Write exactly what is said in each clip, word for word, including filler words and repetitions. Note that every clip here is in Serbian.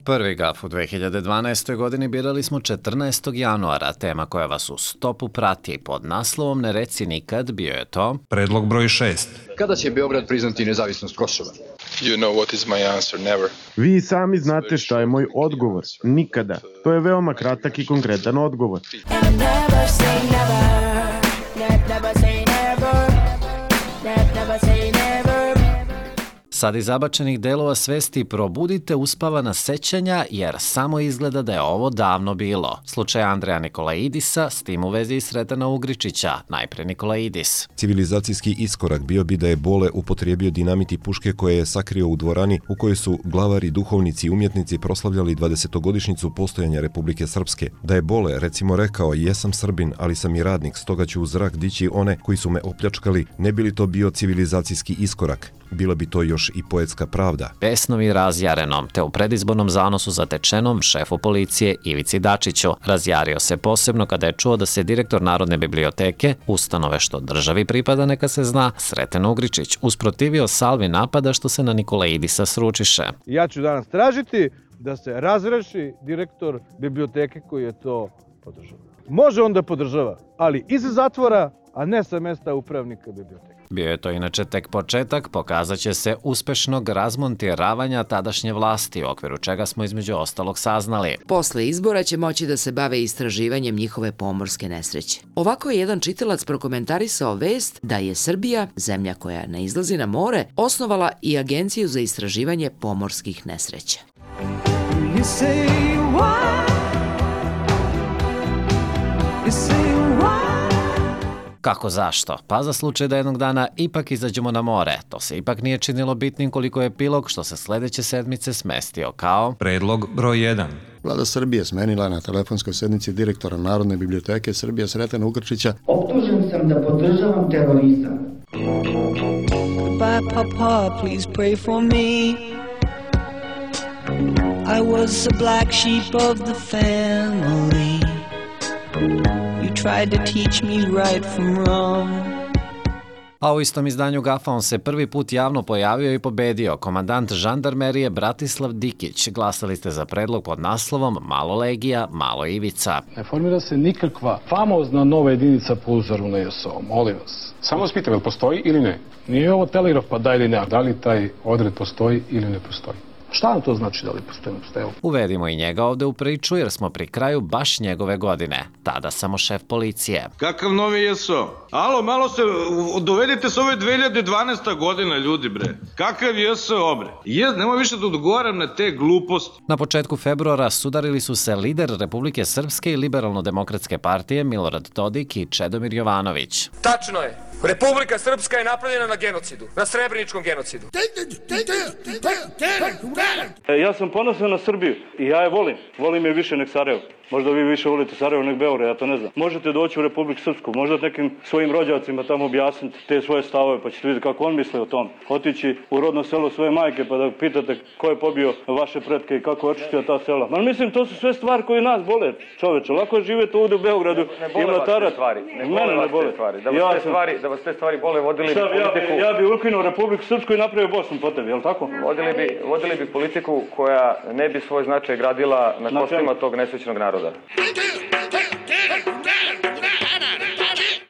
prvi gaf u dve hiljade dvanaestoj. godini birali smo četrnaestog januara. Tema koja vas u stopu prati pod naslovom Ne reci nikad bio je to predlog broj šest. Kada će Beograd priznati nezavisnost Kosova? You know what is my answer, never. Vi sami znate šta je moj odgovor. Nikada. To je veoma kratak i konkretan odgovor. Never say never. Never say never. Never say never. Sad iz zabačenih delova svesti probudite uspavana sećanja jer samo izgleda da je ovo davno bilo. Slučaj Andreja Nikolaidisa, s tim u vezi i Sretana Ugričića, najpre Nikolaidis. Civilizacijski iskorak bio bi da je Bole upotrijebio dinamit i puške koje je sakrio u dvorani u kojoj su glavari, duhovnici i umjetnici proslavljali dvadesetogodišnjicu postojanja Republike Srpske. Da je Bole, recimo, rekao jesam Srbin, ali sam i radnik, stoga ću u zrak dići one koji su me opljačkali, ne bi li to bio civilizacijski iskorak? Bila bi to još i poetska pravda. Pesnovi razjarenom, te u predizbornom zanosu zatečenom šefu policije Ivici Dačiću. Razjario se posebno kada je čuo da se direktor Narodne biblioteke, ustanove što državi pripada neka se zna, Sreten Ugričić, usprotivio salvi napada što se na Nikolaidisa sručiše. Ja ću danas tražiti da se razreši direktor biblioteke koji je to podržava. Može on da podržava, ali iz zatvora, a ne sa mesta upravnika biblioteke. Bio je to inače tek početak, pokazat će se uspešnog razmontiravanja tadašnje vlasti, u okviru čega smo između ostalog saznali. Posle izbora će moći da se bave istraživanjem njihove pomorske nesreće. Ovako je jedan čitalac prokomentarisao vest da je Srbija, zemlja koja ne izlazi na more, osnovala i Agenciju za istraživanje pomorskih nesreća. You say why? You say why? Kako zašto? Pa za slučaj da jednog dana ipak izađemo na more. To se ipak nije činilo bitnim koliko je epilog što se sledeće sedmice smestio kao predlog broj jedan. Vlada Srbije smenila na telefonskoj sednici direktora Narodne biblioteke Srbije Sretena Ugričića. Optužen sam da podržavam terorizam. Goodbye, Papa, please pray for me. I was a black sheep of the family. Tried to teach me right from wrong. A u istom izdanju gafa on se prvi put javno pojavio i pobedio. Komandant žandarmerije Bratislav Dikić. Glasali ste za predlog pod naslovom Malo Legija, Malo Ivica. Ne formira se nikakva famozna nova jedinica po uzoru na J S O, molim vas. Samo vas pitam, jel postoji ili ne? Nije ovo telegraf pa da ili ne, da li taj odred postoji ili ne postoji? Šta nam to znači da li postoji? Uvedimo i njega ovde u priču jer smo pri kraju baš njegove godine. Tada samo šef policije. Kakav novi J S O? Alo, malo se dovedite s ove dve hiljade dvanaesta godina, ljudi, bre. Kakav J S O, bre? Jez, nemoj više da odgovaram na te gluposti. Na početku februara sudarili su se lider Republike Srpske i Liberalno-demokratske partije Milorad Dodik i Čedomir Jovanović. Tačno je. Republika Srpska je napravljena na genocidu, na srebreničkom genocidu. Ja sam ponosan na Srbiju i ja je volim. Volim je više nek Sarajevo. Možda vi više volite Sarajevo nek Beograd, ja to ne znam. Možete doći u Republiku Srpsku, možda nekim svojim rođacima tamo objasniti te svoje stavove, pa ćete vidjeti kako on misle o tom. Otići u rodno selo svoje majke pa da pitate ko je pobio vaše pretke i kako je očistio ta sela. Ma mislim, to su sve stvari koje nas bole, čoveče. Lako je živjeti ovdje u Beogradu i mlatarat. Ne bole vas te stvari. Da vas te stvari, da vas te stvari bole, vodili bi politiku. Ja bi ukinuo Republiku Srpsku i napravio Bosnu po tebi, je li tako? Vodili bi, vodili bi politiku koja ne bi svoj značaj gradila na kostima tog nesrećnog naroda.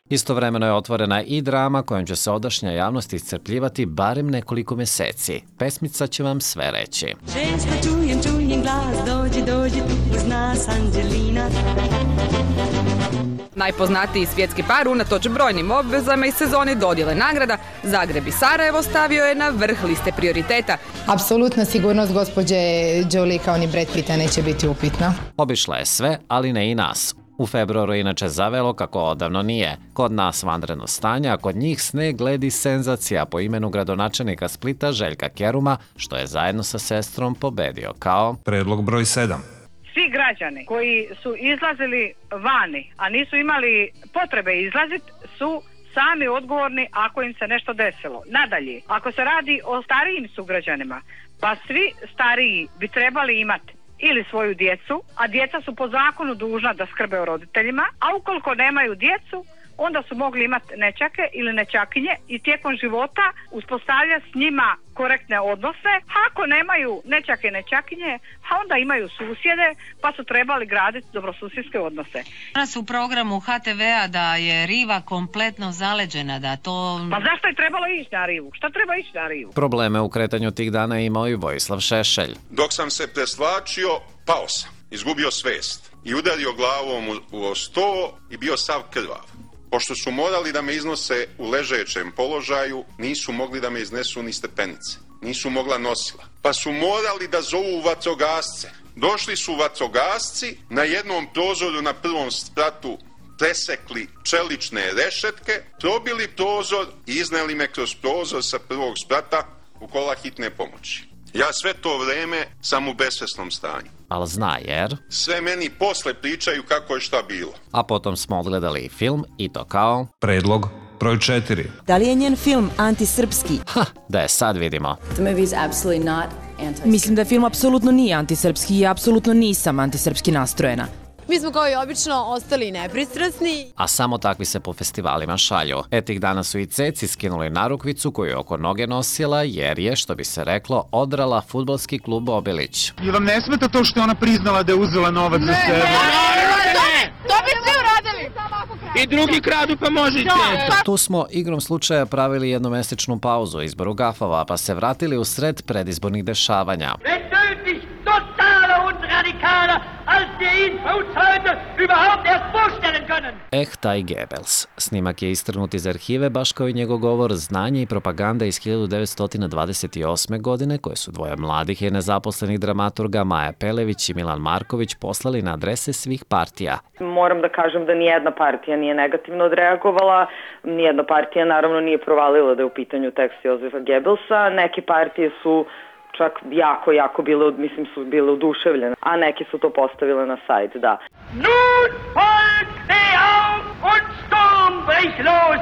Istovremeno je otvorena i drama kojom će se odašnja javnost iscrpljivati barem nekoliko meseci. Pesmica će vam sve reći. Ženska, čujem, čujem glas, dođi, dođi tu uz nas, Anđelina. Najpoznatiji svjetski par unatoč brojnim obvezama i sezoni dodjele nagrada, Zagreb i Sarajevo stavio je na vrh liste prioriteta. Apsolutna sigurnost gospođe Jolie kao ni Brad Pitta neće biti upitna. Obišla je sve, ali ne i nas. U februaru inače zavelo kako odavno nije. Kod nas vanredno stanje, a kod njih sneg, led i senzacija po imenu gradonačelnika Splita Željka Keruma, što je zajedno sa sestrom pobedio kao predlog broj sedam. Svi građani koji su izlazili vani, a nisu imali potrebe izlaziti, su sami odgovorni ako im se nešto desilo. Nadalje, ako se radi o starijim sugrađanima, pa svi stariji bi trebali imati ili svoju djecu, a djeca su po zakonu dužna da skrbe o roditeljima, a ukoliko nemaju djecu, onda su mogli imati nećake ili nećakinje i tijekom života uspostavljati s njima korektne odnose. Ako nemaju nećake i nećakinje, a onda imaju susjede, pa su trebali graditi dobrosusjedske odnose. Danas u programu H T V-a da je riva kompletno zaleđena, da to... Pa zašto je trebalo ići na rivu? Šta treba ići na rivu? Probleme u kretanju tih dana je imao i Vojislav Šešelj. Dok sam se preslačio, pao sam, izgubio svest i udario glavom u, u sto i bio sav krvav. Pošto su morali da me iznose u ležećem položaju, nisu mogli da me iznesu ni stepenice. Nisu mogla nosila. Pa su morali da zovu vatrogasce. Došli su vatrogasci, na jednom prozoru na prvom spratu presekli čelične rešetke, probili prozor i izneli me kroz prozor sa prvog sprata u kola hitne pomoći. Ja sve to vreme sam u besvesnom stanju. Al zna jer... Sve meni posle pričaju kako je šta bilo. A potom smo odgledali i film i to kao... Predlog broj četiri. Da li je njen film antisrpski? Ha, da je sad vidimo. The movie is absolutely not anti-srpski. Mislim da film apsolutno nije antisrpski i apsolutno nisam antisrpski nastrojena. Mi smo kao i obično ostali nepristrasni. A samo takvi se po festivalima šalju. E tih dana su i Ceci skinuli narukvicu koju je oko noge nosila jer je, što bi se reklo, odrala fudbalski klub Obilić. I vam ne smeta to što je ona priznala da je uzela novac za sebe? Ne, to bi svi uradili. I drugi kradu pa možete. Tu smo igrom slučaja pravili jednomesečnu pauzu u izboru gafava, pa se vratili u sred predizbornih dešavanja. Eh, taj Goebbels. Snimak je istrgnut iz arhive, baš kao i njegov govor Znanje i propaganda iz hiljadu devetsto dvadeset osme. godine, koje su dvoje mladih i nezaposlenih dramaturga Maja Pelević i Milan Marković poslali na adrese svih partija. Moram da kažem da nijedna partija nije negativno odreagovala, nijedna partija naravno nije provalila da je u pitanju tekst Jozefa Goebbelsa, neke partije su čak jako, jako bile, mislim, su bile oduševljene, a neke su to postavile na sajt, da. Nun folgt steh auf und Sturm bricht los!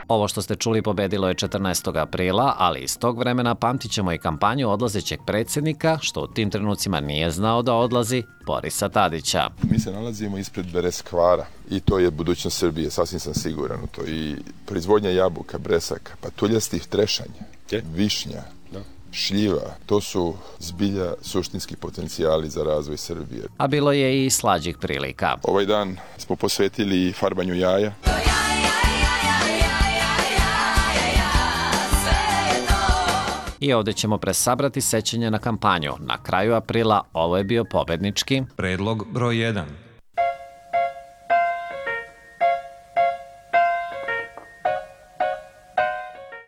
Ovo što ste čuli pobedilo je četrnaestog aprila, ali iz tog vremena pamtit ćemo i kampanju odlazećeg predsjednika, što u tim trenucima nije znao da odlazi, Borisa Tadića. Mi se nalazimo ispred Bereskvara i to je budućnost Srbije, sasvim sam siguran u to. I proizvodnja jabuka, bresaka, patuljastih trešanja, višnja, šljiva, to su zbilja suštinski potencijali za razvoj Srbije. A bilo je i slađih prilika. Ovaj dan smo posvetili farbanju jaja. I ovdje ćemo presabrati sećanje na kampanju. Na kraju aprila ovo je bio pobednički predlog broj jedan.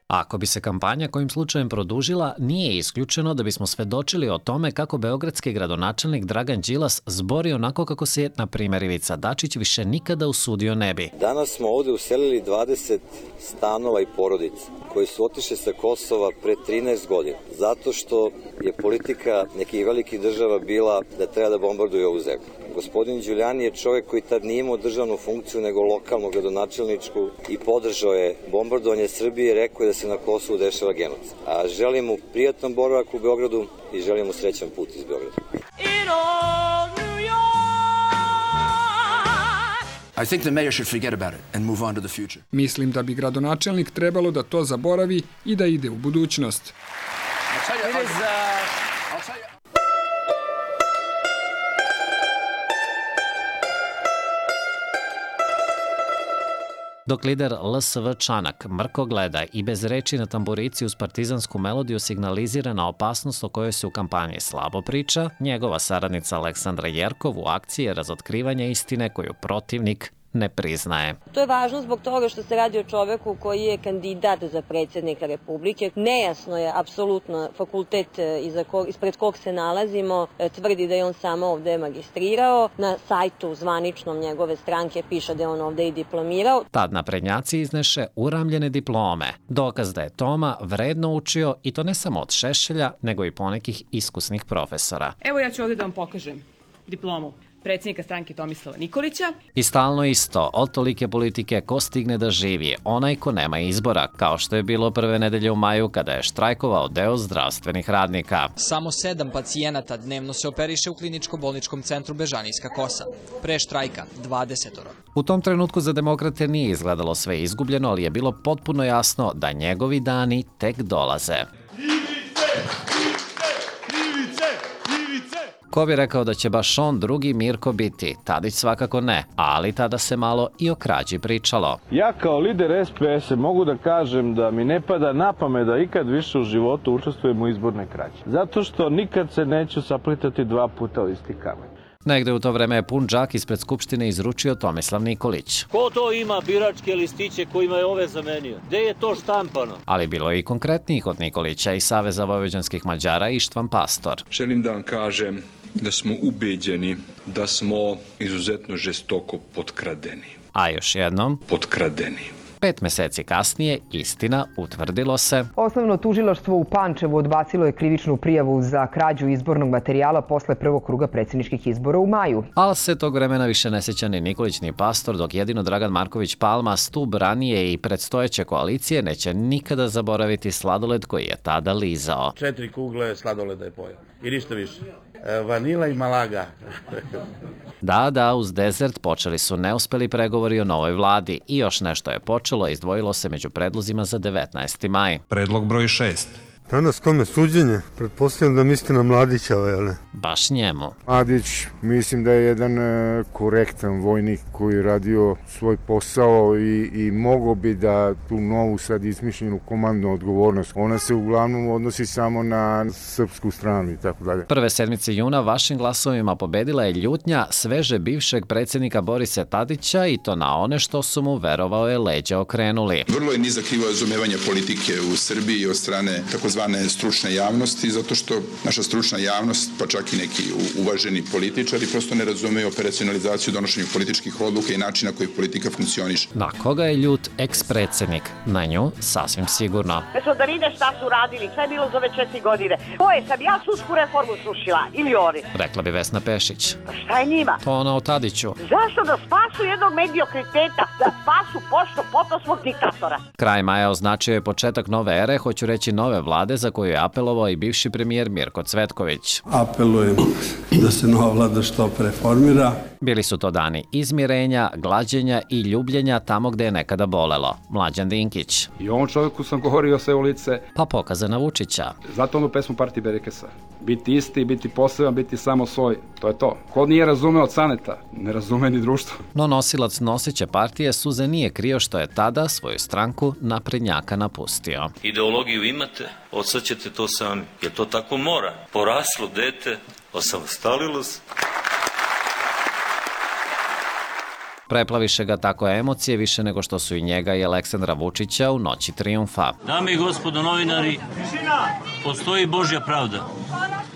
Ako bi se kampanja kojim slučajem produžila, nije isključeno da bismo svedočili o tome kako beogradski gradonačelnik Dragan Đilas zbori onako kako se, na primjer, Ivica Dačić više nikada usudio ne bi. Danas smo ovde uselili dvadeset stanova i porodica koji su otišli sa Kosova pre trinaest godina, zato što je politika nekih velikih država bila da treba da bombarduju ovu zemlju. Gospodin Đulijani je čovjek koji tad nije imao državnu funkciju, nego lokalnu gradonačelničku i podržao je bombardovanje Srbije i rekao je da se na Kosovu dešava genocid. A želim mu prijatan boravak u Beogradu i želim mu srećan put iz Beograda. I think the mayor should forget about it and move on to the future. Mislim da bi gradonačelnik trebalo da to zaboravi i da ide u budućnost. Dok lider L S V Čanak mrko gleda i bez reči na tamburici uz partizansku melodiju signalizira na opasnost o kojoj se u kampanji slabo priča, njegova saradnica Aleksandra Jerkov u akciji je razotkrivanje istine koju protivnik ne priznaje. To je važno zbog toga što se radi o čoveku koji je kandidat za predsjednika Republike. Nejasno je apsolutno fakultet iza kog, ispred kog se nalazimo, tvrdi da je on samo ovde magistrirao. Na sajtu zvaničnom njegove stranke piše da je on ovde i diplomirao. Tad naprednjaci izneše uramljene diplome. Dokaz da je Toma vredno učio i to ne samo od Šešelja, nego i ponekih iskusnih profesora. Evo ja ću ovdje da vam pokažem diplomu. predsjednika stranke Tomislava Nikolića. I stalno isto, od tolike politike ko stigne da živi, onaj ko nema izbora, kao što je bilo prve nedelje u maju kada je štrajkovao deo zdravstvenih radnika. Samo sedam pacijenata dnevno se operiše u kliničko-bolničkom centru Bežanijska Kosa. Pre štrajka dvadesetoro. U tom trenutku za demokrate nije izgledalo sve izgubljeno, ali je bilo potpuno jasno da njegovi dani tek dolaze. Ko bi rekao da će baš on drugi Mirko biti? Tadić svakako ne, ali tada se malo i o krađi pričalo. Ja kao lider S P S mogu da kažem da mi ne pada na pamet da ikad više u životu učestvujem u izbornoj krađi. Zato što nikad se neću saplitati dva puta u isti kamen. Negde u to vreme je pun džak ispred Skupštine izručio Tomislav Nikolić. Ko to ima biračke listiće kojima je ove zamenio? Gde je to štampano? Ali bilo je i konkretnijih od Nikolića i Saveza vojvođanskih Mađara Ištvan Pastor. Želim da vam kažem da smo ubeđeni da smo izuzetno žestoko potkradeni. A još jednom? Potkradeni. Pet meseci kasnije, istina, utvrdilo se. Osnovno tužilaštvo u Pančevu odbacilo je krivičnu prijavu za krađu izbornog materijala posle prvog kruga predsjedničkih izbora u maju. Ali se tog vremena više ne sjeća ni Nikolić ni Pastor, dok jedino Dragan Marković Palma, stub ranije i predstojeće koalicije, neće nikada zaboraviti sladoled koji je tada lizao. Četiri kugle sladoleda je pojao i ništa više. Vanila i Malaga. Da, da, uz desert počeli su neuspeli pregovori o novoj vladi i još nešto je počelo, izdvojilo se među predlozima za devetnaesti maj. Predlog broj šest. Danas kome suđenje? Pretpostavljam da mislite na Mladića, ali? Baš njemu. Mladić, mislim da je jedan e, korektan vojnik koji je radio svoj posao i, i mogo bi da tu novu sad izmišljenu komandnu odgovornost, ona se uglavnom odnosi samo na srpsku stranu i tako dalje. Prve sedmice juna vašim glasovima pobedila je ljutnja sveže bivšeg predsjednika Borisa Tadića i to na one što su mu, verovao je, leđa okrenuli. Vrlo je nizak nivo razumevanja politike u Srbiji od strane takozvane stručne javnosti, zato što naša stručna javnost, pa čak i neki uvaženi političari, prosto ne razumeju operacionalizaciju donošenju političkih odluka i načina koji politika funkcioniše. Na koga je ljut eks-predsjednik? Na nju sasvim sigurno. Mesto da vide šta su radili, šta je bilo za ove četiri godine. Ko je, sam ja sudsku reformu srušila ili oni? Rekla bi Vesna Pešić. Šta je njima? To ona o Tadiću. Zašto da spasu jednog mediokriteta, da spasu pošto poto svog diktatora? Kraj maja označio je početak nove ere, hoću reći nove vlade, za koju je apelovao i bivši premijer Mirko Cvetković. Apelujem da se nova vlada što preformira. Bili su to dani izmirenja, glađenja i ljubljenja tamo gde je nekada bolelo. Mlađan Dinkić. I ovom čovjeku sam govorio sve u lice. Pa pokazana Vučića. Zato onu pesmu Partije Berekesa. Biti isti, biti poseban, biti samo svoj. To je to. Ko nije razumeo od Caneta, ne razume ni društvo. No nosilac noseće partije Suze nije krio što je tada svoju stranku naprednjaka napustio. Ideologiju imate, od sad ćete to sami. Jer to tako mora. Poraslo dete, osamostalilo se. Preplaviše ga tako emocije više nego što su i njega i Aleksandra Vučića u noći trijumfa. Dame i gospodo novinari, postoji Božja pravda.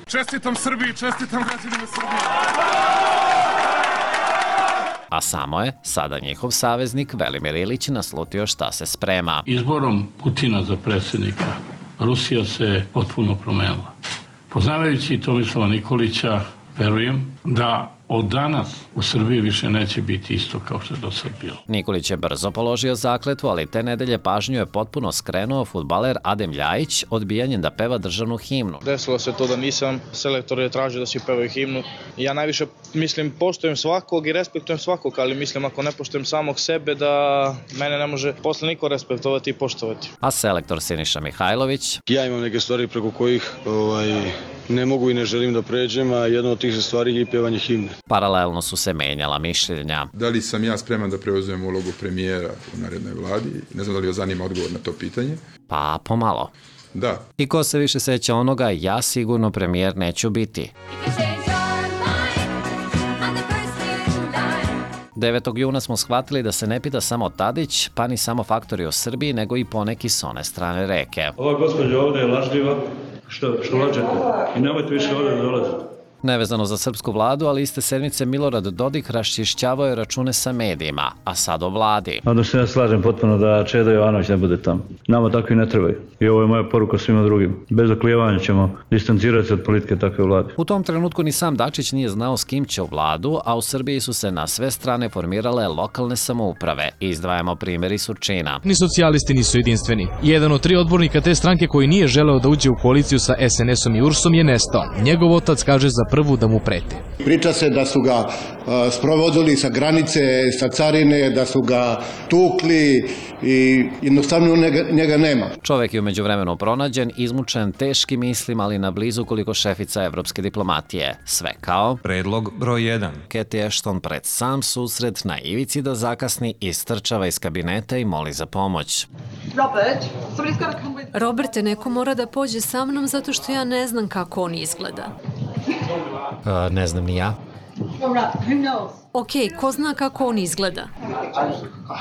Čestitam Srbiji, čestitam građanima Srbije. A samo je sada njihov saveznik Velimir Ilić naslutio šta se sprema. Izborom Putina za predsjednika Rusija se potpuno promenila. Poznavajući Tomislava Nikolića, verujem da od danas u Srbiji više neće biti isto kao što je do sad bilo. Nikolić je brzo položio zakletvu, ali te nedelje pažnju je potpuno skrenuo fudbaler Adem Ljajić odbijanjem da peva državnu himnu. Desilo se to da nisam, selektor je tražio da svi pevaju himnu. Ja najviše, mislim, poštujem svakog i respektujem svakog, ali mislim ako ne poštujem samog sebe da mene ne može posle niko respektovati i poštovati. A selektor Siniša Mihajlović? Ja imam neke stvari preko kojih ovaj, ne mogu i ne želim da pređem, a jedna od tih stvari je i pevanje himne. Paralelno su se menjala mišljenja. Da li sam ja spreman da preuzmem ulogu premijera u narednoj vladi? Ne znam da li joj zanima odgovor na to pitanje. Pa pomalo. Da. I ko se više seća onoga, ja sigurno premijer neću biti. devetog juna smo shvatili da se ne pita samo Tadić, pa ni samo faktori u Srbiji, nego i poneki s one strane reke. Ova gospođa ovde je lažljiva, što, što lađete, i nemojte više ovde da dolazite. Nevezano za srpsku vladu, ali iste sedmice Milorad Dodik raščišćavao je račune sa medijima, a sad o vladi. Onda se ja slažem potpuno da Čeda Jovanović ne bude tamo. Nama takvi ne trebaju. I ovo je moja poruka svima drugim. Bez oklijevanja ćemo distancirati se od politike takve vlade. U tom trenutku ni sam Dačić nije znao s kim će u vladu, a u Srbiji su se na sve strane formirale lokalne samouprave. Izdvajamo primjer iz Surčina. Ni socijalisti nisu jedinstveni. Jedan od tri odbornika te stranke koji nije želeo da uđe u koaliciju sa es en esom i ursom je nestao. Njegov otac kaže za prvu da mu prete. Priča se da su ga uh, sprovodili sa granice, sa carine, da su ga tukli i jednostavno njega, njega nema. Čovek je umeđu vremenu pronađen, izmučen teškim mislima, ali na blizu koliko šefica evropske diplomatije. Sve kao predlog broj jedan. Cathy Ashton pred sam susret na ivici da zakasni istrčava iz kabineta i moli za pomoć. Robert, Roberte, neko mora da pođe sa mnom zato što ja ne znam kako on izgleda. Uh, ne znam ni ja. Ok, ko zna kako on izgleda?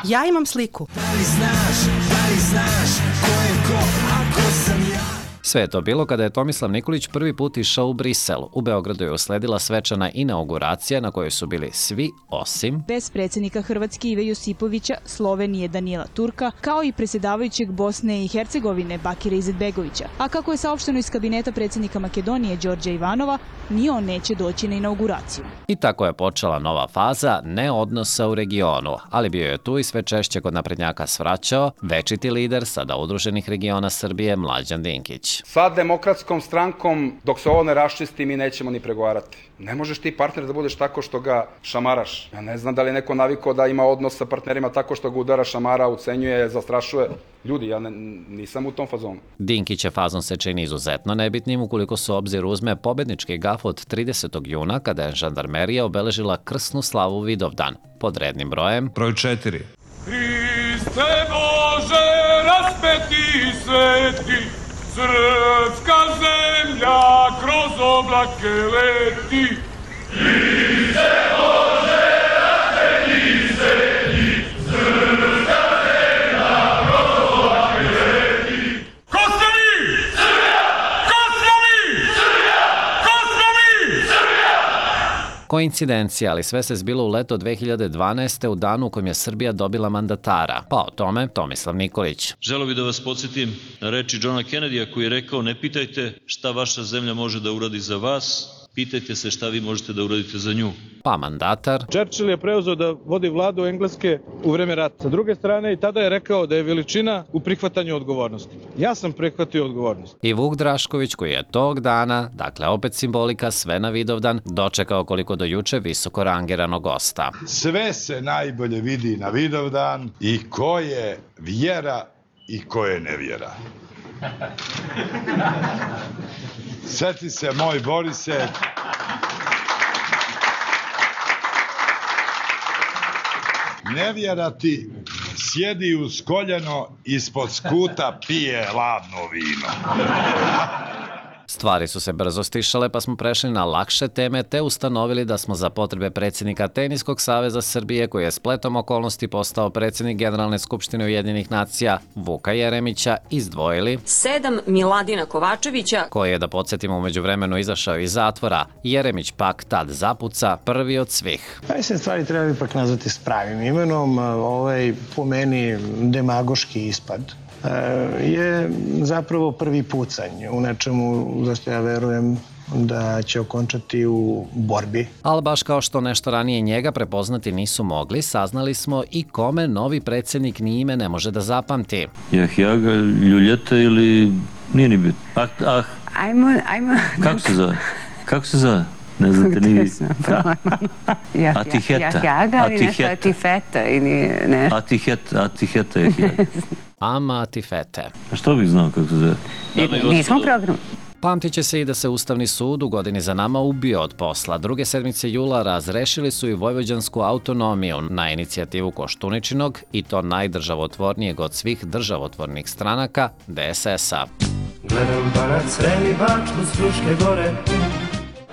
Ja imam sliku. Da li znaš, da li znaš ko je ko, ako sam ja? Sve je to bilo kada je Tomislav Nikolić prvi put išao u Brisel. U Beogradu je usledila svečana inauguracija na kojoj su bili svi osim bez predsjednika Hrvatske Ive Josipovića, Slovenije Danijela Turka, kao i predsjedavajućeg Bosne i Hercegovine Bakira Izetbegovića. A kako je saopšteno iz kabineta predsjednika Makedonije Đorđa Ivanova, ni on neće doći na inauguraciju. I tako je počela nova faza neodnosa u regionu, ali bio je tu i sve češće kod naprednjaka svraćao večiti lider sada udruženih regiona Srbije Mlađan Dinkić. Sa demokratskom strankom, dok se ovo ne raščisti, mi nećemo ni pregovarati. Ne možeš ti partner da budeš tako što ga šamaraš. Ja ne znam da li je neko navikao da ima odnos sa partnerima tako što ga udara, šamara, ucenjuje, zastrašuje. Ljudi, ja ne, nisam u tom fazonu. Dinkić fazon se čini izuzetno nebitnim ukoliko se obzir uzme pobednički gaf od tridesetog juna kada je žandarmerija obeležila krsnu slavu Vidovdan pod rednim brojem broj četiri. Hriste Bože, raspeti sveti, srpska zemlja kroz oblake leti. Hriste Bože, raspeti sveti, srpska zemlja kroz oblake leti. Ko ste vi? Srbija! Ko smo mi? Srbija! Ko smo mi? Srbija! Koincidencija, ali sve se zbilo u leto dve hiljade dvanaeste. u danu u kojem je Srbija dobila mandatara. Pa o tome Tomislav Nikolić. Želeo bih da vas podsjetim na reči Johna Kennedya koji je rekao: ne pitajte šta vaša zemlja može da uradi za vas, pitajte se šta vi možete da uradite za nju. Pa mandatar Churchill je preuzeo da vodi vladu Engleske u vreme rata. Sa druge strane, i tada je rekao da je veličina u prihvatanju odgovornosti. Ja sam prihvatio odgovornost. I Vuk Drašković koji je tog dana, dakle opet simbolika, sve na Vidovdan, dočekao koliko do juče visoko rangiranog gosta. Sve se najbolje vidi na Vidovdan i ko je vjera i ko je nevjera. Sjeti se, moj Borise, nevjera ti sjedi uz koljeno, ispod skuta pije ladno vino. Stvari su se brzo stišale, pa smo prešli na lakše teme te ustanovili da smo za potrebe predsjednika Teniskog saveza Srbije, koji je spletom okolnosti postao predsjednik Generalne skupštine Ujedinjenih nacija, Vuka Jeremića, izdvojili sedam Miladina Kovačevića, koji je, da podsjetimo, umeđu vremenu izašao iz zatvora. Jeremić pak tad zapuca, prvi od svih. Taj se stvari treba ipak nazvati s pravim imenom. Ovaj, po meni, demagoški ispad je zapravo prvi pucanj u nečemu za što ja verujem da će okončati u borbi. Ali baš kao što nešto ranije njega prepoznati nisu mogli, saznali smo i kome novi predsjednik ni ime ne može da zapamti. Jahjaga, Ljuljeta ili nije ni bit? Ah, ah. Ajmo, ajmo. Kako se zove? Kako se zove? Ne znate ni vi. Atiheta. Jahjaga ili nešto Atifeta ili nešto. Atiheta, Atiheta je Jahjaga. Ama Atifete. A što bih znao kako se zove? Nismo program. Pamtit će se i da se Ustavni sud u godini za nama ubio od posla. Druge sedmice jula razrešili su i vojvođansku autonomiju na inicijativu Koštuničinog, i to najdržavotvornijeg od svih državotvornih stranaka, de es es a. Gledam Banac, Srem i Bačku s Fruške gore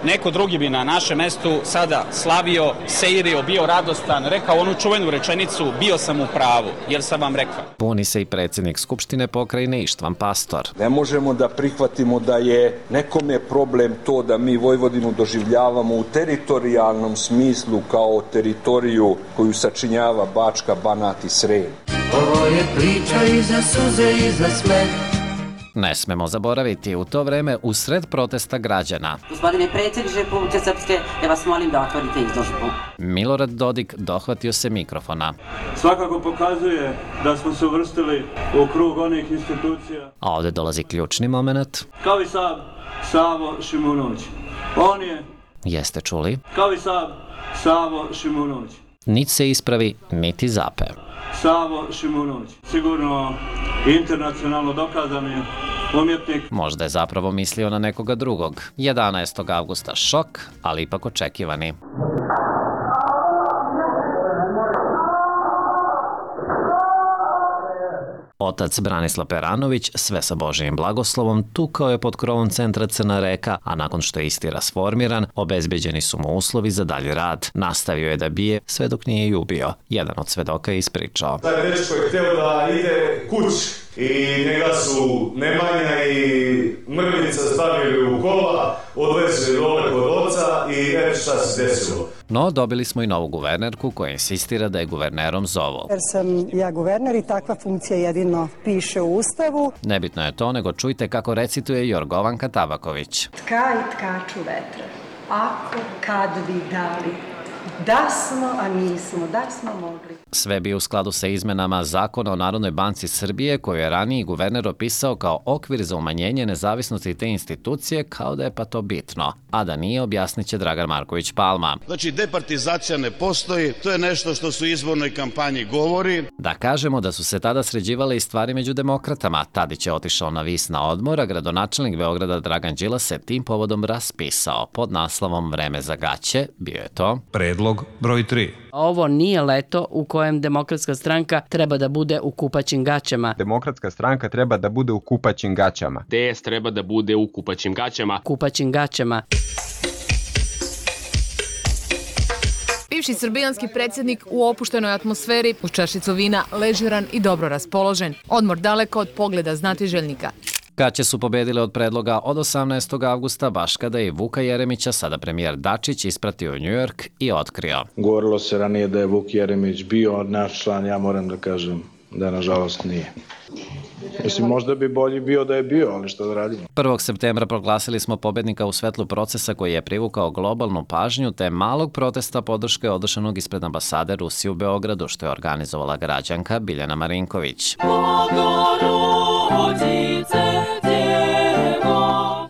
neko drugi bi na našem mestu sada slavio, seirio, bio radostan, rekao onu čuvenu rečenicu bio sam u pravu, jer sam vam rekao. Buni se i predsjednik Skupštine pokrajine Ištvan Pastor. Ne možemo da prihvatimo da je nekome problem to da mi Vojvodinu doživljavamo u teritorijalnom smislu kao teritoriju koju sačinjava Bačka, Banat i Srem. Ovo je priča i za suze i za smeh. Ne smemo zaboraviti, u to vreme usred protesta građana. Gospodine predsjedniče Republike Srpske, ja vas molim da otvorite izložbu. Milorad Dodik dohvatio se mikrofona. Svakako pokazuje da smo se uvrstili u krug onih institucija. A ovdje dolazi ključni moment. Kao i Sab, Savo Šimunović. On je... Jeste čuli? Kao i Sab, Savo Šimunović. Niti se ispravi, niti zape. Savo Šimunović. Sigurno internacionalno dokazani umjetnik. Možda je zapravo mislio na nekoga drugog. jedanaestog avgusta šok, ali ipak očekivani. Otac Branislav Peranović, sve sa Božijim blagoslovom, tukao je pod krovom centra Crna Reka, a nakon što je isti rasformiran, obezbeđeni su mu uslovi za dalji rad. Nastavio je da bije sve dok nije i ubio. Jedan od svedoka je ispričao. Taj dečko je hteo da ide kući i njega su Nemanja i Mrvica stavili u kola, odvezli dole kod oca i eto šta se desilo. No, dobili smo i novu guvernerku koja insistira da je guvernerom zovu. Jer sam ja guverner i takva funkcija jedino piše u Ustavu. Nebitno je to, nego čujte kako recituje Jorgovanka Tabaković. Tka i tkaču vetra, ako kad bi dali, da smo, a nismo, da smo mogli. Sve bi u skladu sa izmenama Zakona o Narodnoj banci Srbije, koju je raniji guverner opisao kao okvir za umanjenje nezavisnosti te institucije, kao da je pa to bitno. A da nije, objasnit će Dragan Marković Palma. Znači, departizacija ne postoji, to je nešto što su u izbornoj kampanji govori. Da kažemo da su se tada sređivale i stvari među demokratama. Tadić je otišao na vis na odmor, a gradonačelnik Beograda Dragan Đilas se tim povodom raspisao. Pod naslovom Vreme za gaće bio je to predlog broj tri. Ovo nije leto u kojem Demokratska stranka treba da bude u kupaćim gaćama. Demokratska stranka treba da bude u kupaćim gaćama. D S treba da bude u kupaćim gaćama. Kupaćim gaćama. Bivši srbijanski predsjednik u opuštenoj atmosferi, uz čašicu vina, ležeran i dobro raspoložen. Odmor daleko od pogleda znatiželjnika. Gaće su pobedile od predloga od osamnaestog avgusta, baš kada je Vuka Jeremića, sada premijer Dačić, ispratio u New York i otkrio. Govorilo se ranije da je Vuk Jeremić bio naš član, ja moram da kažem da nažalost nije. Mislim, možda bi bolji bio da je bio, ali što da radimo. prvog septembra proglasili smo pobednika u svetlu procesa koji je privukao globalnu pažnju, te malog protesta podrške održanog ispred ambasade Rusije u Beogradu, što je organizovala građanka Biljana Marinković.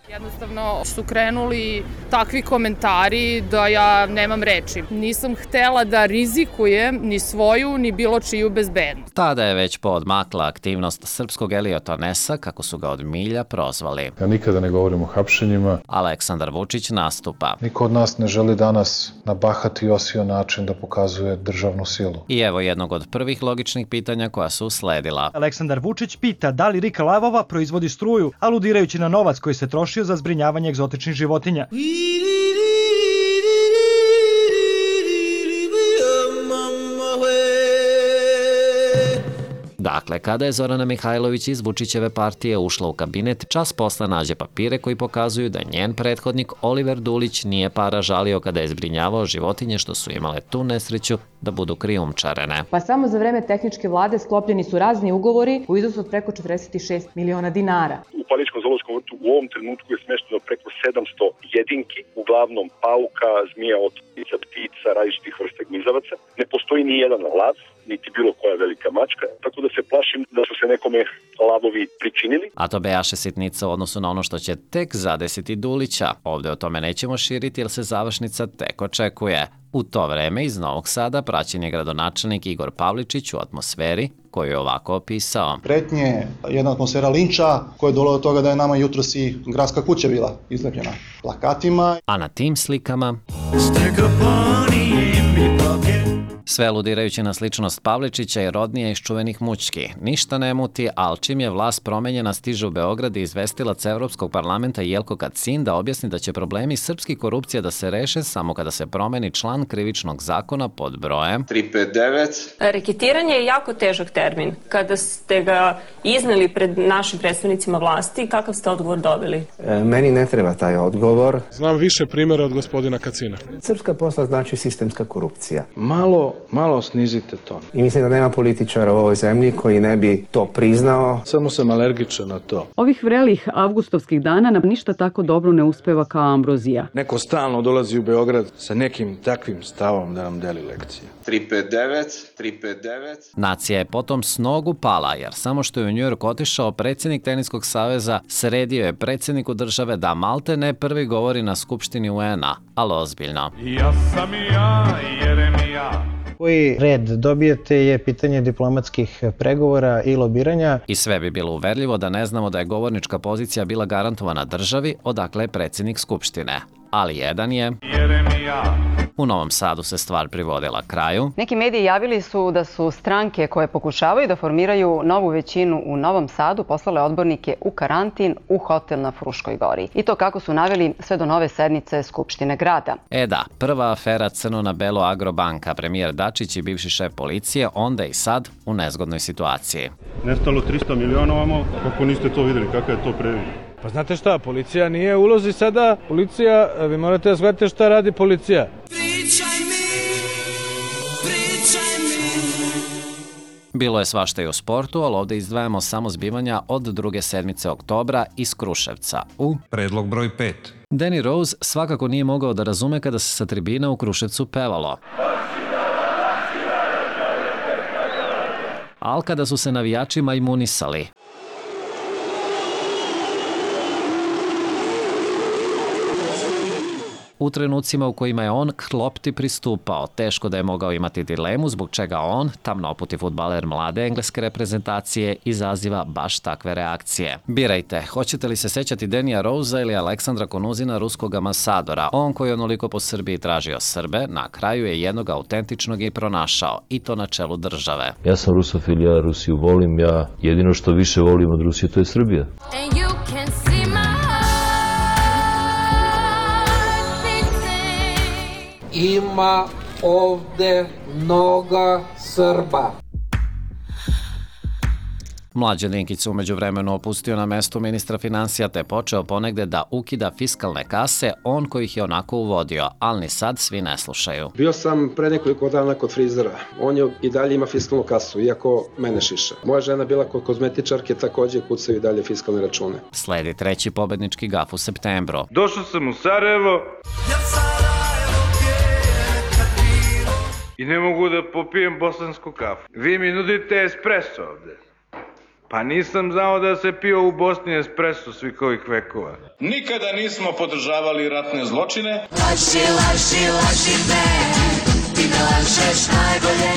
Jednostavno su krenuli takvi komentari da ja nemam reči. Nisam htela da rizikujem ni svoju, ni bilo čiju bezbednost. Tada je već poodmakla aktivnost srpskog Eliota Nesa, kako su ga od milja prozvali. Ja nikada ne govorim o hapšenjima. Aleksandar Vučić nastupa. Niko od nas ne želi danas na bahat i osio način da pokazuje državnu silu. I evo jednog od prvih logičnih pitanja koja su usledila. Aleksandar Vučić pita da li Rika Lavova proizvodi struju, aludirajući na novac koji se trošio za zbrinjavanje egzotičnih životinja. Dakle, kada je Zorana Mihajlović iz Vučićeve partije ušla u kabinet, čas posle nađe papire koji pokazuju da njen prethodnik Oliver Dulić nije para žalio kada je zbrinjavao životinje što su imale tu nesreću da budu krijumčarene. Pa samo za vreme tehničke vlade sklopljeni su razni ugovori u iznosu od preko četrdeset šest miliona dinara. U Paličkom zoološkom vrtu u ovom trenutku je smešteno preko sedamsto jedinki, uglavnom pauka, zmija, otpica, ptica, različitih vrsta gmizavaca. Ne postoji ni jedan lav, niti bilo koja velika mačka, tako da se plašim da su se nekome lavovi pričinili. A to bejaše sitnica u odnosu na ono što će tek zadesiti Dulića. Ovdje o tome nećemo širiti jer se završnica tek očekuje. U to vreme iz Novog Sada praćen je gradonačelnik Igor Pavličić u atmosferi koju je ovako opisao. Pretnje, jedna atmosfera linča koja je došla do toga da je nama jutros i gradska kuća bila izlepljena plakatima. A na tim slikama Sve aludirajući na sličnost Pavličića i Rodnija iz čuvenih mućki. Ništa ne muti, ali čim je vlast promenjena stiže u Beograd i izvestilac Evropskog parlamenta Jelko Kacin da objasni da će problemi srpski korupcija da se reše samo kada se promeni član krivičnog zakona pod brojem tri pet devet. Reketiranje je jako težak termin. Kada ste ga izneli pred našim predstavnicima vlasti, kakav ste odgovor dobili? E, meni ne treba taj odgovor. Znam više primjera od gospodina Kacina. Srpska posla znači sistemska korupcija. Malo, malo snizite ton. I mislim da nema političara u ovoj zemlji koji ne bi to priznao. Samo sam alergičan na to. Ovih vrelih avgustovskih dana nam ništa tako dobro ne uspeva kao ambrozija. Neko stalno dolazi u Beograd sa nekim takvim stavom da nam deli lekcije. tri pet devet, tri pet devet. Nacija je potom s nogu pala, jer samo što je u New York otišao predsjednik Teniskog saveza, sredio je predsjedniku države da malte ne prvi govori na Skupštini U N A, ali ozbiljno. Ja sam ja, Jeremija. Koji red dobijete je pitanje diplomatskih pregovora i lobiranja. I sve bi bilo uverljivo da ne znamo da je govornička pozicija bila garantovana državi, odakle je predsjednik Skupštine. Ali jedan je... Jeremija. U Novom Sadu se stvar privodila kraju. Neki mediji javili su da su stranke koje pokušavaju da formiraju novu većinu u Novom Sadu poslale odbornike u karantin u hotel na Fruškoj gori. I to kako su naveli sve do nove sednice Skupštine grada. E da, prva afera crno na belo Agrobanka, premijer Dačić i bivši šef policije, onda i sad u nezgodnoj situaciji. Nestalo tristo miliona ovamo, kako niste to vidjeli, kakav je to previd? Pa znate šta, policija nije u ulozi sada, policija, vi morate da shvatite šta radi policija. Pričaj mi, pričaj mi. Bilo je svašta i u sportu, ali ovdje izdvajamo samo zbivanja od druge sedmice oktobra iz Kruševca u... Predlog broj pet. Danny Rose svakako nije mogao da razume kada se sa tribina u Kruševcu pevalo. Ali kada su se navijači majmunisali. U trenucima u kojima je on k lopti pristupao, teško da je mogao imati dilemu zbog čega on, tamnoputi fudbaler mlade engleske reprezentacije, izaziva baš takve reakcije. Birajte, hoćete li se sećati Denija Rosa ili Aleksandra Konuzina, ruskog ambasadora? On koji je onoliko po Srbiji tražio Srbe, na kraju je jednog autentičnog i pronašao, i to na čelu države. Ja sam rusofil, ja Rusiju volim, ja jedino što više volim od Rusije to je Srbija. Ima ovde mnoga Srba. Mlađan Dinkić se umeđu vremenu opustio na mestu ministra financija te počeo ponegde da ukida fiskalne kase, on koji ih je onako uvodio, ali ni sad svi ne slušaju. Bio sam pre nekoliko dana kod frizera. On je i dalje ima fiskalnu kasu, iako mene šiša. Moja žena bila kod kozmetičarke, takođe kucaju i dalje fiskalne račune. Sledi treći pobednički gaf u septembru. Došao sam u Sarajevo i ne mogu da popijem bosansku kafu. Vi mi nudite espresso ovde. Pa nisam znao da se pio u Bosni espresso svih ovih vekova. Nikada nismo podržavali ratne zločine. Laži, laži, laži me, ti me lažeš najbolje.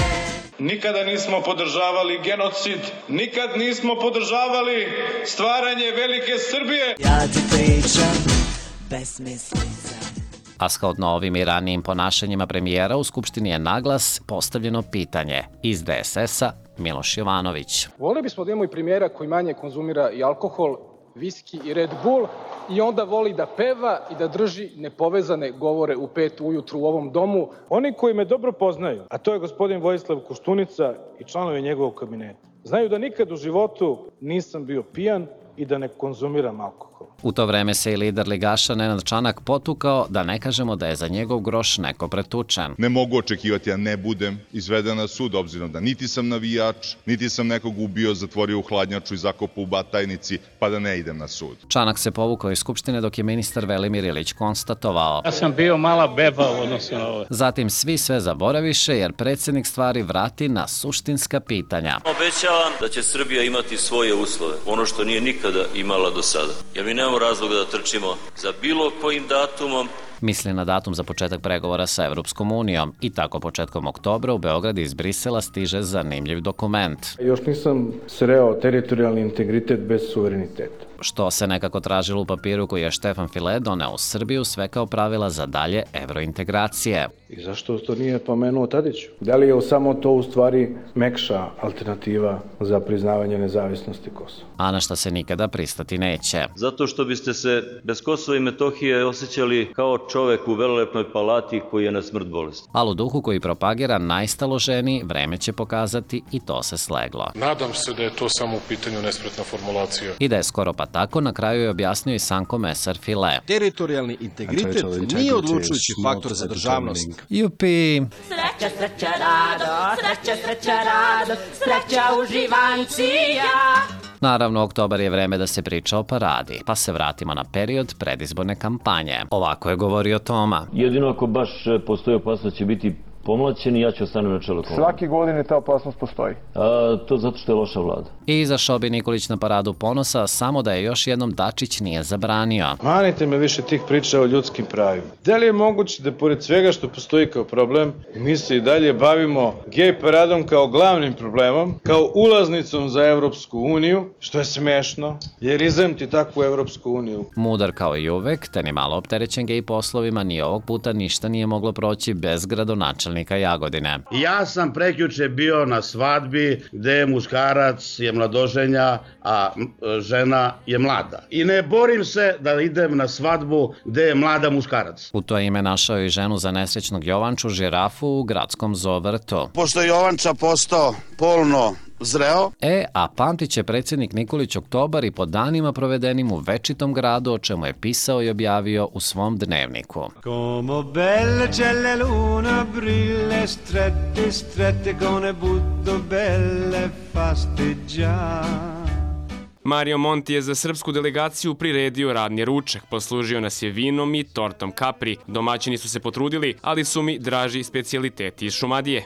Nikada nismo podržavali genocid. Nikad nismo podržavali stvaranje velike Srbije. Ja ti pričam besmislica. A shodno ovim i ranijim ponašanjima premijera u Skupštini je naglas postavljeno pitanje iz D S S-a Miloš Jovanović. Volili bismo da imamo i premijera koji manje konzumira i alkohol, viski i Red Bull i onda voli da peva i da drži nepovezane govore u pet ujutru u ovom domu. Oni koji me dobro poznaju, a to je gospodin Vojislav Koštunica i članovi njegovog kabineta, znaju da nikad u životu nisam bio pijan i da ne konzumiram alkohol. U to vreme se i lider ligaša Nenad Čanak potukao, da ne kažemo da je za njegov groš neko pretučen. Ne mogu očekivati, ja ne budem izveden na sud, obzirom da niti sam navijač, niti sam nekog ubio, zatvorio u hladnjaču i zakopao u Batajnici, pa da ne idem na sud. Čanak se povukao iz Skupštine dok je ministar Velimir Ilić konstatovao. Ja sam bio mala beba u odnosu na ove. Zatim svi sve zaboraviše jer predsjednik stvari vrati na suštinska pitanja. Obećavam da će Srbija imati svoje uslove, ono što nije nikada imala do sada. Ja mi nemamo razloga da trčimo za bilo kojim datumom, Misli na datum za početak pregovora sa Evropskom unijom i tako početkom oktobra u Beograd iz Brisela stiže zanimljiv dokument. Još nisam sreo teritorijalni integritet bez suvereniteta. Što se nekako tražilo u papiru koji je Štefan File doneo u Srbiju sve kao pravila za dalje evrointegracije. I zašto to nije pomenuo Tadiću? Da li je samo to u stvari mekša alternativa za priznavanje nezavisnosti Kosova? A na šta se nikada pristati neće. Zato što biste se bez Kosova i Metohije osjećali kao čovek u velelepnoj palati koji je na smrt bolesti. Ali u duhu koji propagira najstaloženiji, vreme će pokazati i to se sleglo. Nadam se da je to samo u pitanju nespretna formulacija. I da je skoro pa tako, na kraju je objasnio i sam komesar File. Teritorijalni integritet nije odlučujući faktor za državnost. Jupi! Sreća, sreća, rado, sreća, sreća, rado, sreća uživancija. Naravno, oktobar je vreme da se priča o paradi, pa se vratimo na period predizborne kampanje. Ovako je govorio Toma. Jedino ako baš postoji opasnost će biti pomlaćeni, ja ću ostanem na čelu kolona. Svake godine ta opasnost postoji. A, to zato što je loša vlada. I izašao bi Nikolić na paradu ponosa, samo da je još jednom Dačić nije zabranio. Manite me više tih priča o ljudskim pravima. Da li je moguće da pored svega što postoji kao problem, mi se i dalje bavimo gej paradom kao glavnim problemom, kao ulaznicom za Evropsku uniju, što je smešno, jer izemti takvu Evropsku uniju. Mudar kao i uvek, te ni malo opterećen gej poslovima, ni ovog puta ništa nije moglo proći bez gradonačelnika Jagodine. Ja sam prekjuče bio na svadbi gde je muškarac je mladoženja, a žena je mlada. I ne borim se da idem na svadbu gde je mlada muškarac. U to ime našao i ženu za nesrećnog Jovanču žirafu u gradskom zovrtu. Pošto je Jovanča postao polno zreo. E, a pamtit će predsjednik Nikolić oktobar i po danima provedenim u večitom gradu, o čemu je pisao i objavio u svom dnevniku. Como belle c'è la luna brille strette strette con ne butto belle fasteggia. Mario Monti je za srpsku delegaciju priredio radni ručak, poslužio nas je vinom i tortom kapri. Domaćini su se potrudili, ali su mi draži specijaliteti iz Šumadije.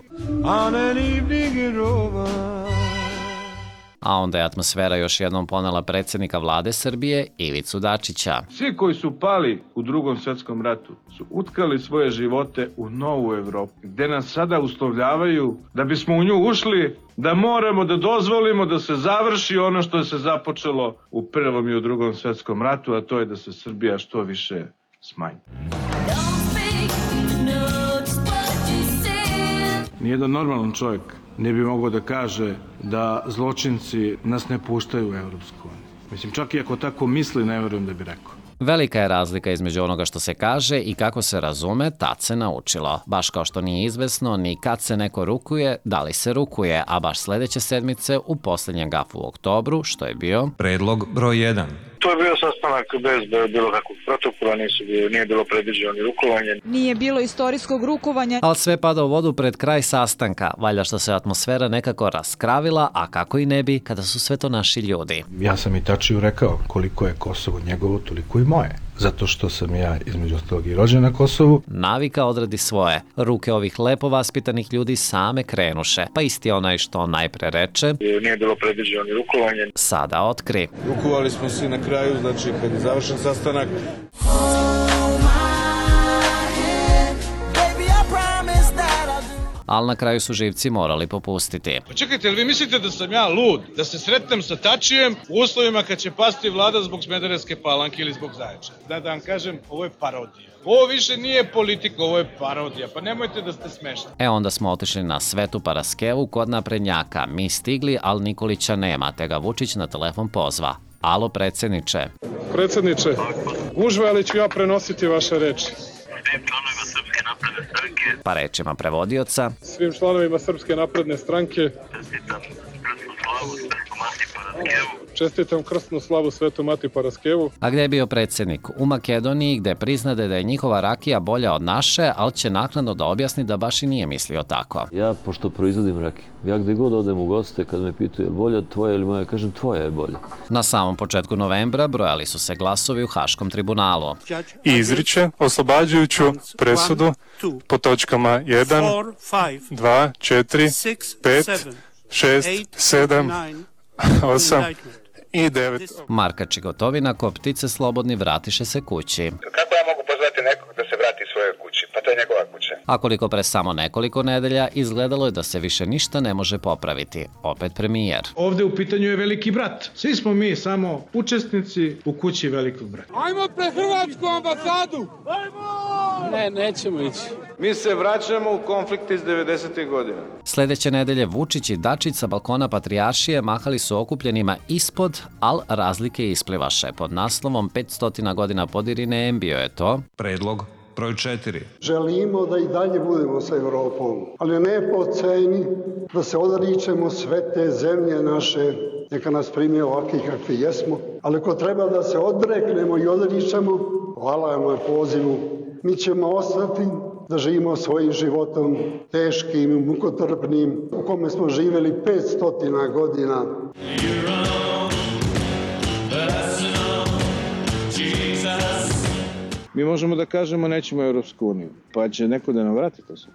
A onda je atmosfera još jednom ponela predsjednika vlade Srbije, Ivicu Dačića. Svi koji su pali u Drugom svjetskom ratu su utkali svoje živote u novu Evropu, gde nas sada uslovljavaju da bismo u nju ušli, da moramo da dozvolimo da se završi ono što je se započelo u Prvom i u Drugom svjetskom ratu, a to je da se Srbija što više smanji. Nijedan normalan čovjek ne bi mogao da kaže da zločinci nas ne puštaju u Evropsku uniju. Mislim, čak i ako tako misli, ne verujem da bi rekao. Velika je razlika između onoga što se kaže i kako se razume, tad se naučilo. Baš kao što nije izvesno ni kad se neko rukuje, da li se rukuje, a baš sledeće sedmice u posljednjem gafu u oktobru, što je bio... Predlog broj jedan. To je bio sastanak bez bilo kakvog protokola, nije bilo predviđeno ni rukovanje. Nije bilo istorijskog rukovanja. Ali sve pada u vodu pred kraj sastanka, valjda što se atmosfera nekako raskravila, a kako i ne bi, kada su sve to naši ljudi. Ja sam i Tačiju rekao koliko je Kosovo njegovo, toliko i moje. Zato što sam ja, između ostalog, i rođen na Kosovu. Navika odradi svoje. Ruke ovih lepo vaspitanih ljudi same krenuše. Pa isti onaj što najpre reče... Nije bilo predviđeno ni rukovanje. Sada otkri. Rukovali smo svi na kraju, znači kad je završen sastanak... Ali na kraju su živci morali popustiti. Pa čekajte, li vi mislite da sam ja lud? Da se sretnem sa Tačijem u uslovima kad će pasti vlada zbog Smederevske Palanke ili zbog Zaječara? Da, da vam kažem, ovo je parodija. Ovo više nije politika, ovo je parodija, pa nemojte da ste smešni. E onda smo otišli na Svetu Paraskevu kod naprednjaka. Mi stigli, ali Nikolića nema, te ga Vučić na telefon pozva. Alo, predsjedniče. Predsjedniče, gužva, ali ću ja prenositi vaše reči. Pa rečima prevodioca. Svim članovima Srpske napredne stranke čestitam krstnu slavu Svetu Mati Paraskevu. A gde je bio predsjednik? U Makedoniji, gde priznade da je njihova rakija bolja od naše, ali će naknadno da objasni da baš i nije mislio tako. Ja, pošto proizvodim rakiju, ja gde god odem u goste, kad me pitaju je li bolja tvoja ili moja, kažem tvoja je bolja. Na samom početku novembra brojali su se glasovi u Haškom tribunalu. I izriče oslobađajuću presudu po točkama jedan, dva, četiri, pet, šest, sedam, osam i devet. Markač i Gotovina ko ptice slobodni vratiše se kući. Kako ja mogu pozvati nekog da se vrati A koliko pre samo nekoliko nedelja izgledalo je da se više ništa ne može popraviti. Opet premijer. Ovde u pitanju je veliki brat. Svi smo mi samo učesnici u kući velikog brata. Ajmo pre Hrvatsku ambasadu! Ajmo! Ne, nećemo ići. Mi se vraćamo u konflikt iz devedesetih godina. Sledeće nedelje Vučić i Dačić sa balkona Patrijaršije mahali su okupljenima ispod, al razlike isplivaše. Pod naslovom petsto godina Podirine bio je to Predlog broj četiri. Želimo da i dalje budemo sa Evropom, ali ne po ceni da se odričemo sve te zemlje naše, neka nas primi ovakvi kakvi jesmo, ali ako treba da se odreknemo i odričemo, hvala vam na pozivu, mi ćemo ostati da živimo svojim životom teškim i mukotrpnim u kome smo živjeli petsto godina. Mi možemo da kažemo nećemo u Europsku uniju, pa će neko da nam vrati to sve?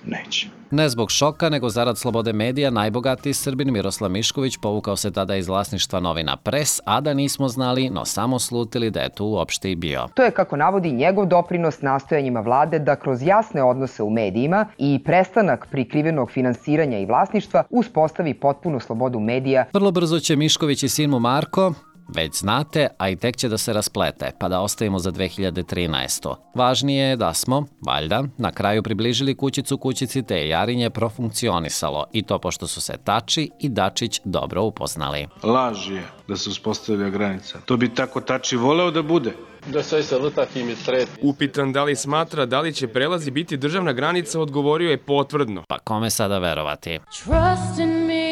Neće. Ne zbog šoka, nego zarad slobode medija, najbogatiji Srbin Miroslav Mišković povukao se tada iz vlasništva novina Pres, a da nismo znali, no samo slutili da je tu uopšte i bio. To je, kako navodi, njegov doprinos nastojanjima vlade da kroz jasne odnose u medijima i prestanak prikrivenog finansiranja i vlasništva uspostavi potpunu slobodu medija. Vrlo brzo će Mišković i sin mu Marko, već znate, a i tek će da se rasplete, pa da ostavimo za dve hiljade trinaestu. Važnije je da smo, valjda, na kraju približili kućicu kućici te je Jarinje profunkcionisalo, i to pošto su se Tači i Dačić dobro upoznali. Laž je da se uspostavlja granica. To bi tako Tači voleo da bude. Da se se lutati mi sred. Upitan da li smatra da li će prelazi biti državna granica, odgovorio je potvrdno. Pa kome sada verovati? Trust in me.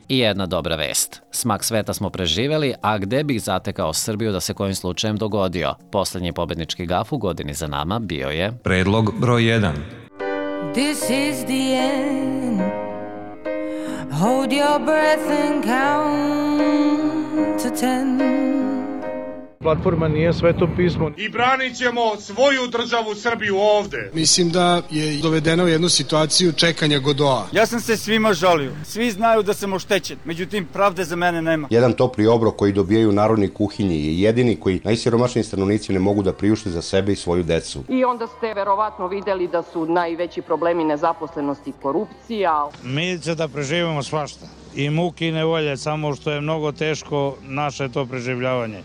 I jedna dobra vest. Smak sveta smo preživeli, a gde bih zatekao Srbiju da se kojim slučajem dogodio? Poslednji pobednički gaf u godini za nama bio je Predlog broj jedan. This is the end. Hold your breath and count to ten. Platforma nije sveto pismo. I branit ćemo svoju državu Srbiju ovde. Mislim da je dovedeno u jednu situaciju čekanja Godoa. Ja sam se svima žalio. Svi znaju da sam oštećen. Međutim, pravde za mene nema. Jedan topli obrok koji dobijaju narodni kuhinji je jedini koji najsiromašniji stanovnici ne mogu da priušte za sebe i svoju decu. I onda ste verovatno videli da su najveći problemi nezaposlenosti i korupcija. Mi će da preživimo svašta. I muke i nevolje, samo što je mnogo teško naše to preživljavanje.